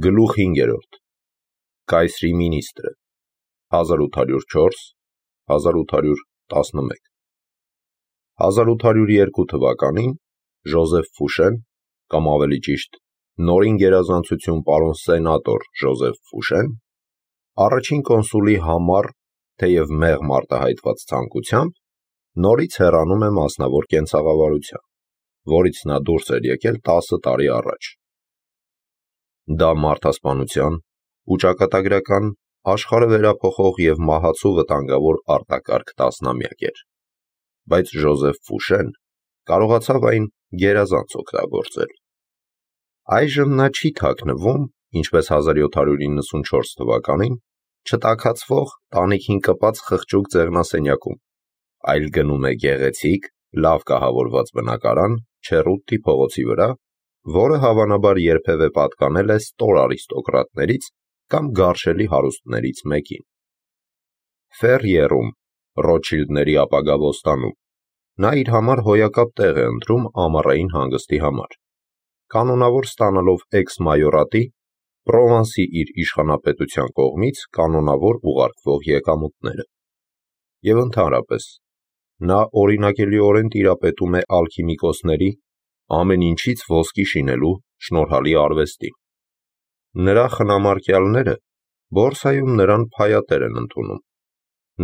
Գլուխ 5. Կայսրի մինիստրը 1804-1811 1802 թվականին Ժոզեֆ Ֆուշեն, կամ ավելի ճիշտ նորին գերազանցություն պարոն սենատոր Ժոզեֆ Ֆուշեն, առաջին կոնսուլի համար, թեև մեղմ արտահայտված ցանկությամբ, նորից հեռանում է մասնավոր կենցաղավարության, որից նա դուրս էր եկել 10 տարի առաջ։ Դա մարդասպանության ու ճակատագրական, աշխարհը վերափոխող և մահացու վտանգավոր արտակարգ տասնամյակ էր, բայց Ժոզեֆ Ֆուշեն կարողացավ այն գերազանց օգտագործել։ Այժմ նա չի թաքնվում, ինչպես 1794 թվականին, չտաքացվող տանիքին կպած խղճուկ ձեղնասենյակում, այլ գնում է գեղեցիկ, լավ կահավորված բնակարան Չերուտտի փողոցի վրա, որը հավանաբար երբևէ պատկանել է ստոր արիստոկրատներից կամ գարշելի հարուստներից մեկին։ Ֆերրիերում, Ռոթշիլդների ապագա բոստանում, նա իր համար հոյակապ տեղ է ընտրում ամառային հանգստի համար, կանոնավոր ստանալով էքս-մայորատի, Պրովանսի իր իշխանապետության կողմից կանոնավոր ուղարկվող եկամուտները։ Եվ ընդհանրապես, նա օրինակելիորեն տիրապետում է ալքիմիկոսների, ամեն ինչից ոսկի շինելու շնորհալի արվեստին։ Նրա խնամարկյալները բորսայում նրան փայատեր են ընդունում։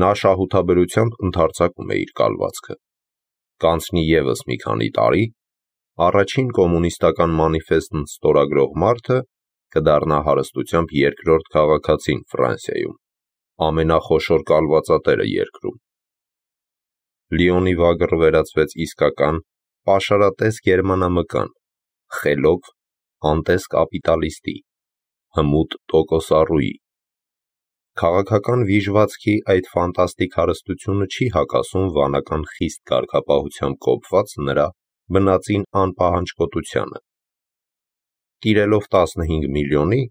Նա շահութաբերությամբ ընդարձակում է իր կալվածքը։ Կանցնի ևս մի քանի տարի, առաջին կոմունիստական մանիֆեստն ստորագրող մարդը կդառնա հարստությամբ երկրորդ քաղաքացին Ֆրանսիայում, ամենախոշոր կալվածատերը երկրում։ Լիոնի վագր վերածվեց իսկական, պաշարատես գերմանամկան, խելոք, անտես կապիտալիստի, հմուտ տոկոսառուի։ Քաղաքական վիժվածքի այդ ֆանտաստիկ հարստությունը չի հակասում վանական խիստ կարգապահությամբ կոփված նրա բնածին անպահանջկոտությանը։ Տիրելով 15 միլիոնի,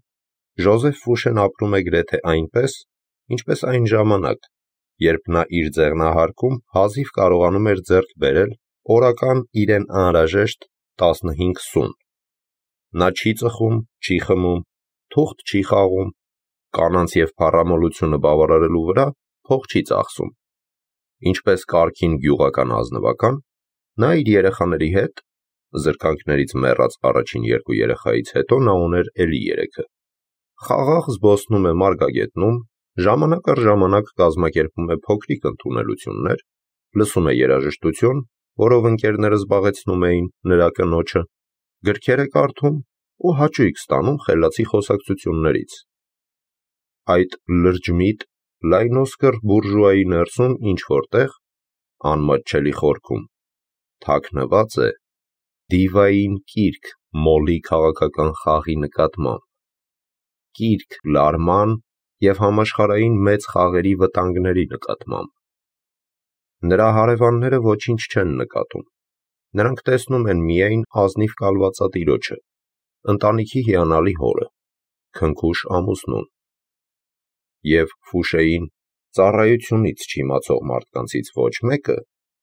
Ժոզեֆ Ֆուշեն ապրում է գրեթե այնպես, ինչպես այն ժամանակ, երբ նա իր ձեղնահարկում հազիվ կարողանում էր ձեռք բերել օրական իրեն անհրաժեշտ 15 սուն։ Նա չի ծխում, չի խմում, թուղթ չի խաղում, կանանց և փառամոլությունը բավարարելու վրա փող չի ծախսում։ Ինչպես կարգին գյուղական ազնվական, նա իր երեխաների հետ, զրկանքներից մեռած առաջին 2 երեխայից հետո նա ուներ էլի 3-ը, խաղաղ զբոսնում է Մարգագետնում, ժամանակ առ ժամանակ կազմակերպում է փոքրիկ ընդունելություններ, լսում է երաժշտություն, որով ընկերները զբաղեցնում էին նրա կնոջը, գրքեր է կարդում ու հաճույք ստանում խելացի խոսակցություններից։ Այդ լրջմիտ, լայնոսկր բուրժուայի ներսում ինչ-որտեղ, անմատչելի խորքում, թաքնված է դիվային կիրք մոլի քաղաքական խաղի նկատմամբ, կիրք լարման և համաշխարհային մեծ խաղերի վտանգների նկատմամբ։ Նրա հարևանները ոչինչ չեն նկատում, նրանք տեսնում են միայն ազնիվ կալվածատիրոջը, ընտանիքի հիանալի հորը, քնքուշ ամուսնուն։ Եվ Ֆուշեին ծառայությունից չիմացող մարդկանցից ոչ մեկը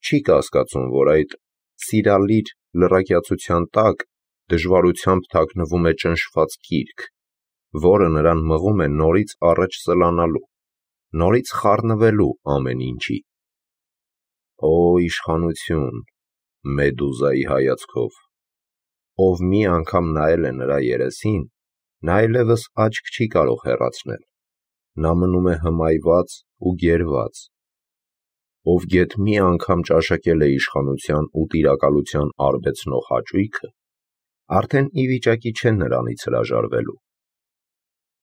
չի կասկածում, որ այդ սիրալիր լրակյացության տակ դժվարությամբ թաքնվում է ճնշված կիրք, որը նրան մղում է նորից առաջ սլանալու, նորից խառնվելու ամեն ինչի։ Օ իշխանություն, Մեդուզայի հայացքով, ով մի անգամ նայել է նրա երեսին, նա այլևս աչք չի կարող հեռացնել, նա մնում է հմայված ու գերված, ով գեթ մի անգամ ճաշակել է իշխանության ու տիրակալության արբեցնող հաճույքը, արդեն ի վիճակի չէ նրանից հրաժարվելու։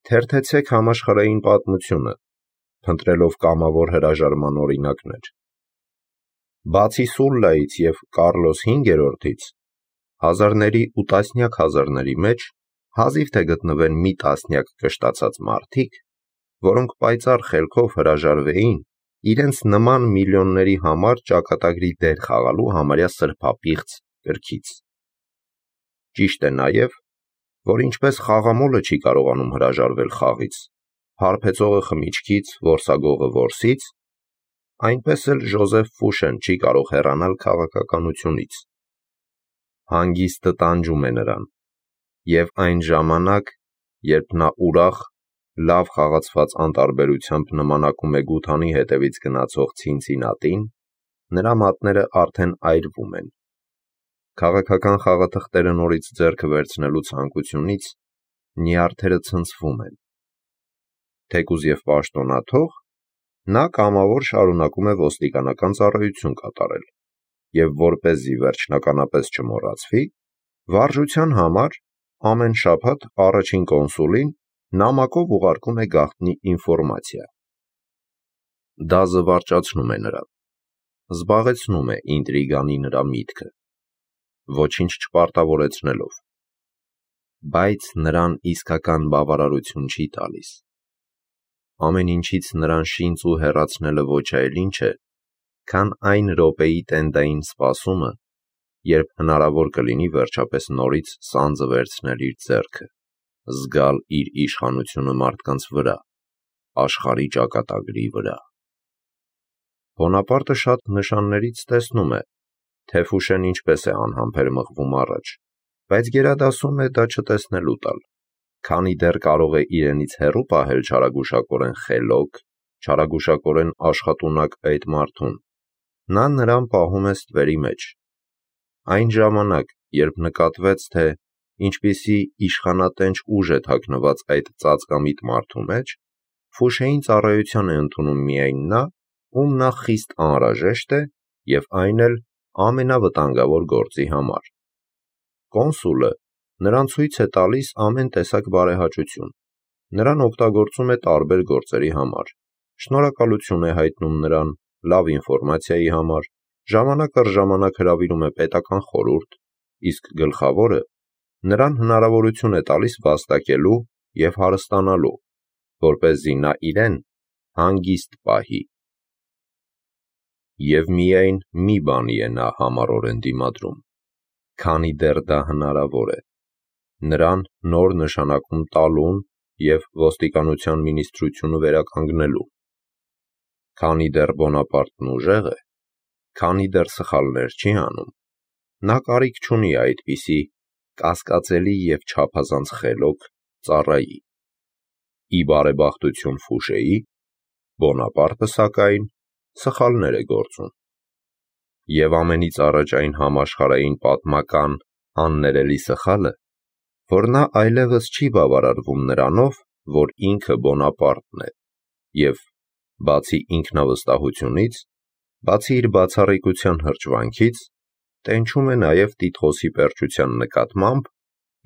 Թերթեցեք համաշխարհային պատմությունը, փնտրելով կամավոր հրաժարման օրինակներ։ Բացի Սուլլայից և Կարլոս V-ից, հազարների ու տասնյակ հազարների մեջ հազիվ թե գտնվեն մի տասնյակ կշտացած մարդիկ, որոնք պայծառ խելքով հրաժարվեին իրենց նման միլիոնների համար ճակատագրի դեր խաղալու համարյա սրբապիղծ կրքից։ Ճիշտ է նաև, որ ինչպես խաղամոլը չի կարողանում հրաժարվել խաղից, հարբեցողը խմիչքից, որսագողը որսից, այնպես էլ Ժոզեֆ Ֆուշեն չի կարող հեռանալ քաղաքականությունից։ Հանգիստը տանջում է նրան, և այն ժամանակ, երբ նա ուրախ, լավ խաղացված անտարբերությամբ նմանակում է գութանի հետևից գնացող Ցինցինատին, նրա մատները արդեն այրվում են։ Քաղաքական խաղաթղթերը նորից ձեռքը վերցնելու ցանկությունից նյարդերը ցնցվում են։ Թեկուզ և պաշտոնաթող, նա կամավոր շարունակում է ոստիկանական ծառայություն կատարել և որպեսզի վերջնականապես չմոռացվի, վարժության համար ամեն շաբաթ առաջին կոնսուլին նամակով ուղարկում է գաղտնի ինֆորմացիա։ Դա զվարճացնում է նրան, զբաղեցնում է ինտրիգանի նրա միտքը, ոչինչ չպարտավորեցնելով, բայց նրան իսկական բավարարություն չի տալիս։ Ամեն ինչից նրան շինծ ու հեռացնելը ոչ այլ ինչ է, քան այն րոպեի տենդային սպասումը, երբ հնարավոր կլինի վերջապես նորից սանձը վերցնել իր ձեռքը, զգալ իր իշխանությունը մարդկանց վրա, աշխարհի ճակատագրի վրա։ Բոնապարտը շատ նշաններից տեսնում է, թե Ֆուշեն ինչպես է անհամբեր մղվում առաջ, բայց գերադասում է դա չտեսնելու տալ, քանի դեռ կարող է իրենից հեռու պահել չարագուշակորեն խելոք, չարագուշակորեն աշխատունակ այդ մարդուն, նա նրան պահում է ստվերի մեջ։ Այն ժամանակ, երբ նկատվեց, թե ինչպիսի իշխանատենչ ուժ է թաքնված այդ ծածկամիտ մարդու մեջ, Ֆուշեին ծառայության է ընդունում միայն նա, ում նա խիստ անհրաժեշտ է, և այն էլ ամենավտանգավոր գործի համար։ Կոնսուլը նրան ցույց է տալիս ամեն տեսակ բարեհաճություն, նրան օգտագործում է տարբեր գործերի համար, շնորհակալություն է հայտնում նրան լավ ինֆորմացիայի համար, ժամանակ առ ժամանակ հրավիրում է պետական խորհուրդ, իսկ գլխավորը նրան հնարավորություն է տալիս վաստակելու և հարստանալու, որպեսզի նա իրեն հանգիստ պահի։ Եվ միայն մի բանի է նա համառորեն դիմադրում, քանի դեռ դա հնարավոր է, նրան նոր նշանակում տալուն և ոստիկանության մինիստրությունը վերականգնելու։ Քանի դեռ Բոնապարտն ուժեղ է, քանի դեռ սխալներ չի անում, նա կարիք չունի այդպիսի կասկածելի և չափազանց խելոք ծառայի։ Ի բարեբախտություն Ֆուշեի, Բոնապարտը, սակայն, սխալներ է գործում։ Եվ ամենից առաջ այն համաշխարհային պատմական աններելի սխալը, որ նա այլևս չի բավարարվում նրանով, որ ինքը Բոնապարտն է, և բացի ինքնավստահությունից, բացի իր բացառիկության հրճվանքից, տենչում է նաև տիտղոսի պերճության նկատմամբ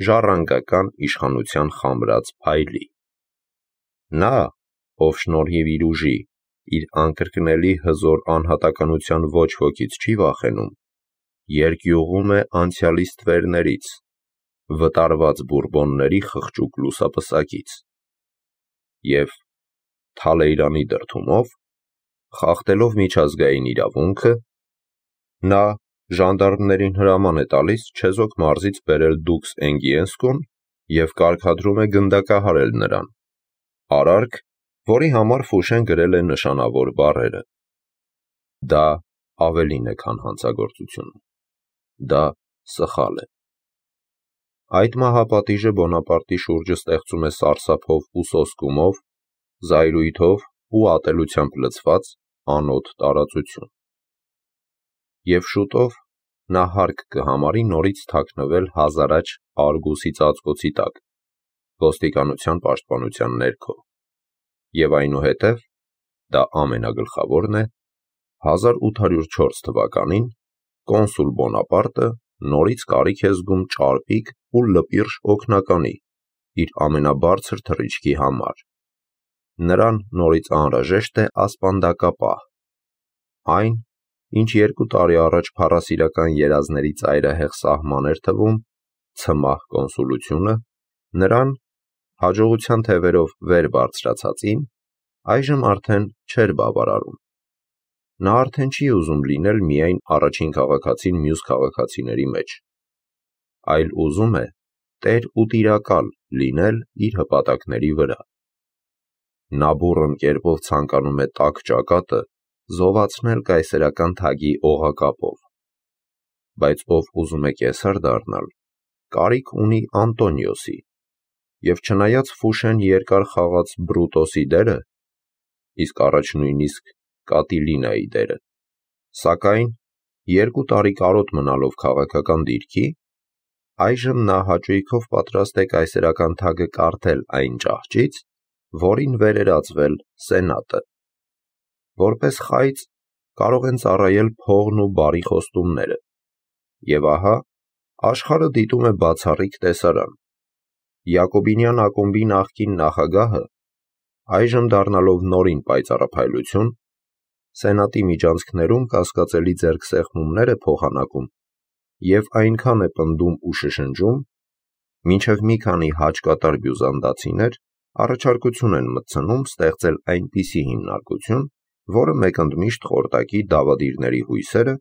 ժառանգական իշխանության խամրած փայլի։ Նա, ով շնորհիվ իր ուժի, իր անկրկնելի հզոր անհատականության ոչ ոքից չի վախենում, երկյուղում է անցյալի ստվերներից, վտարված Բուրբոնների խղճուկ լուսապսակից, և Թալեյրանի դրդումով, խախտելով միջազգային իրավունքը, նա ժանդարմներին հրաման է տալիս չեզոք մարզից բերել Դուքս Էնգիենսկուն և կարգադրում է գնդակահարել նրան, արարք, որի համար Ֆուշեն գրել է նշանավոր բառերը։ Դա ավելին է, քան հանցագործություն, դա սխալ է։ Այդ մահապատիժը Բոնապարտի շուրջը ստեղծում է սարսափով ու սոսկումով, զայրույթով ու ատելությամբ լցված անոտ տարածություն։ Եվ շուտով նա հարկ կհամարի նորից թաքնվել հազարաճ Արգուսի ծածկոցի տակ, ոստիկանության պաշտպանության ներքո, և այնուհետև, դա ամենագլխավորն է, 1804 թվականին կոնսուլ Բոնապարտը նորից կարիք է զգում ճարպիկ ու լպիրշ օգնականի իր ամենաբարձր թռիչքի համար։ Նրան նորից անհրաժեշտ է ասպանդակապահ, այն, ինչ 2 տարի առաջ փառասիրական երազների ծայրահեղ սահման էր թվում, ցմահ կոնսուլությունը, նրան, հաջողության թևերով վեր բարձրացածին, այժմ արդեն չէր բավարարում։ Նա արդեն չի ուզում լինել միայն առաջին քաղաքացին մյուս քաղաքացիների մեջ, այլ ուզում է տեր ու տիրակալ լինել իր հպատակների վրա։ Նա բուռն կերպով ցանկանում է տաք ճակատը զովացնել կայսերական թագի օղակապով, բայց ով ուզում է կեսար դառնալ, կարիք ունի Անտոնիոսի, և չնայած Ֆուշեն երկար խաղաց Բրուտոսի դերը, իսկ առաջ նույնիսկ Կատիլինայի դերը, սակայն 2 տարի կարոտ մնալով քաղաքական դիրքի, այժմ նա հաճույքով պատրաստ է կայսերական թագը կարդել այն ճահճից, որին վերերածվել Սենատը։ Որպես խայծ կարող են ծառայել փողն ու բարի խոստումները, և ահա աշխարհը դիտում է բացառիկ տեսարան. Յակոբինյան ակումբի նախկին նախագահը, այժմ դառնալով նորին պայծառափայլություն, Սենատի միջանցքներում կասկածելի ձեռքսեղմումներ է փոխանակում և այնքան է պնդում ու շշնջում, մինչև մի քանի հաճկատար բյուզանդացիներ առաջարկություն են մտցնում ստեղծել այնպիսի հիմնարկություն, որը մեկընդմիշտ խորտակի դավադիրների հույսերը,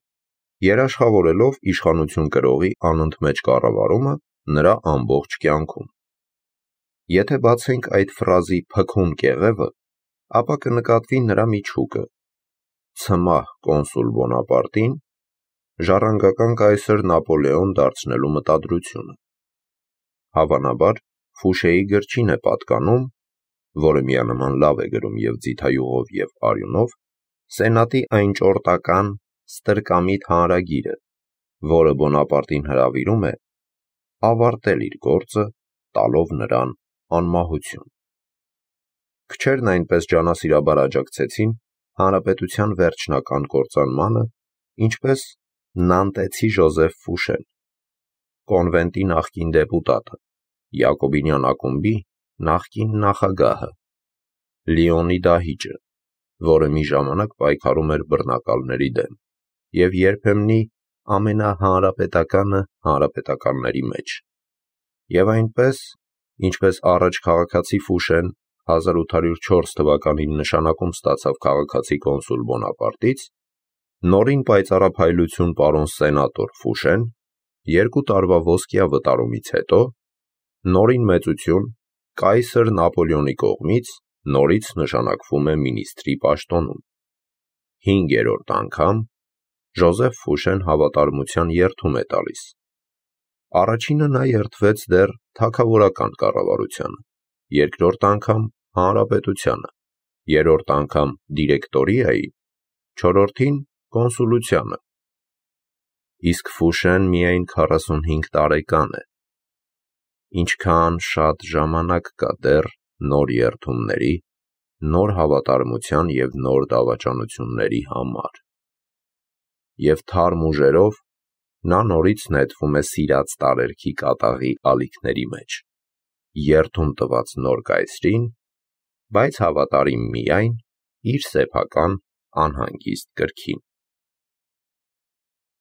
երաշխավորելով իշխանություն կրողի անընդմեջ կառավարումը նրա ամբողջ կյանքում։ Եթե բացենք այդ ֆրազի փքուն կեղևը, ապա կնկատվի նրա միջուկը՝ ցմահ կոնսուլ Բոնապարտին ժառանգական կայսր Նապոլեոն դարձնելու մտադրությունը։ Հավանաբար Ֆուշեի գրչին է պատկանում, որը միանման լավ է գրում և ձիթայուղով և արյունով, Սենատի այն ճորտական, ստրկամիտ հանրագիրը, որը Բոնապարտին հրավիրում է ավարտել իր գործը, տալով նրան անմահություն։ Քչերն այնպես ջանասիրաբար աջակցեցին հանրապետության վերջնական կործանմանը, ինչպես նանտեցի Ժոզեֆ Ֆուշեն, կոնվենտի նախկին դեպուտատը, Յակոբինյան ակումբի նախկին նախագահը, Լիոնի դահիճը, որը մի ժամանակ պայքարում էր բռնակալների դեմ, և երբեմնի ամենահանրապետականը հանրապետականների մեջ, և այնպես, ինչպես առաջ քաղաքացի Ֆուշեն 1804 թվականին նշանակում ստացավ քաղաքացի կոնսուլ Բոնապարտից, նորին պայծառափայլություն պարոն սենատոր Ֆուշեն 2 տարվա ոսկյա վտարումից հետո նորին մեծություն կայսր Նապոլեոնի կողմից նորից նշանակվում է մինիստրի պաշտոնում։ 5-րդ անգամ Ժոզեֆ Ֆուշեն հավատարմության երդում է տալիս։ Առաջինը նա երդվեց դեռ թագավորական կառավարությանը, երկրորդ անգամ հանրապետությանը, երրորդ անգամ դիրեկտորիային, չորրորդին կոնսուլությանը։ Իսկ Ֆուշեն միայն 45 տարեկան է։ Ինչքան շատ ժամանակ կա դեռ նոր երդումների, նոր հավատարմության և նոր դավաճանությունների համար։ Եվ թարմ ուժերով նա նորից նետվում է սիրած տարերքի կատաղի ալիքների մեջ, երդում տված նոր կայսրին, բայց հավատարիմ միայն իր սեփական անհանգիստ կրքին։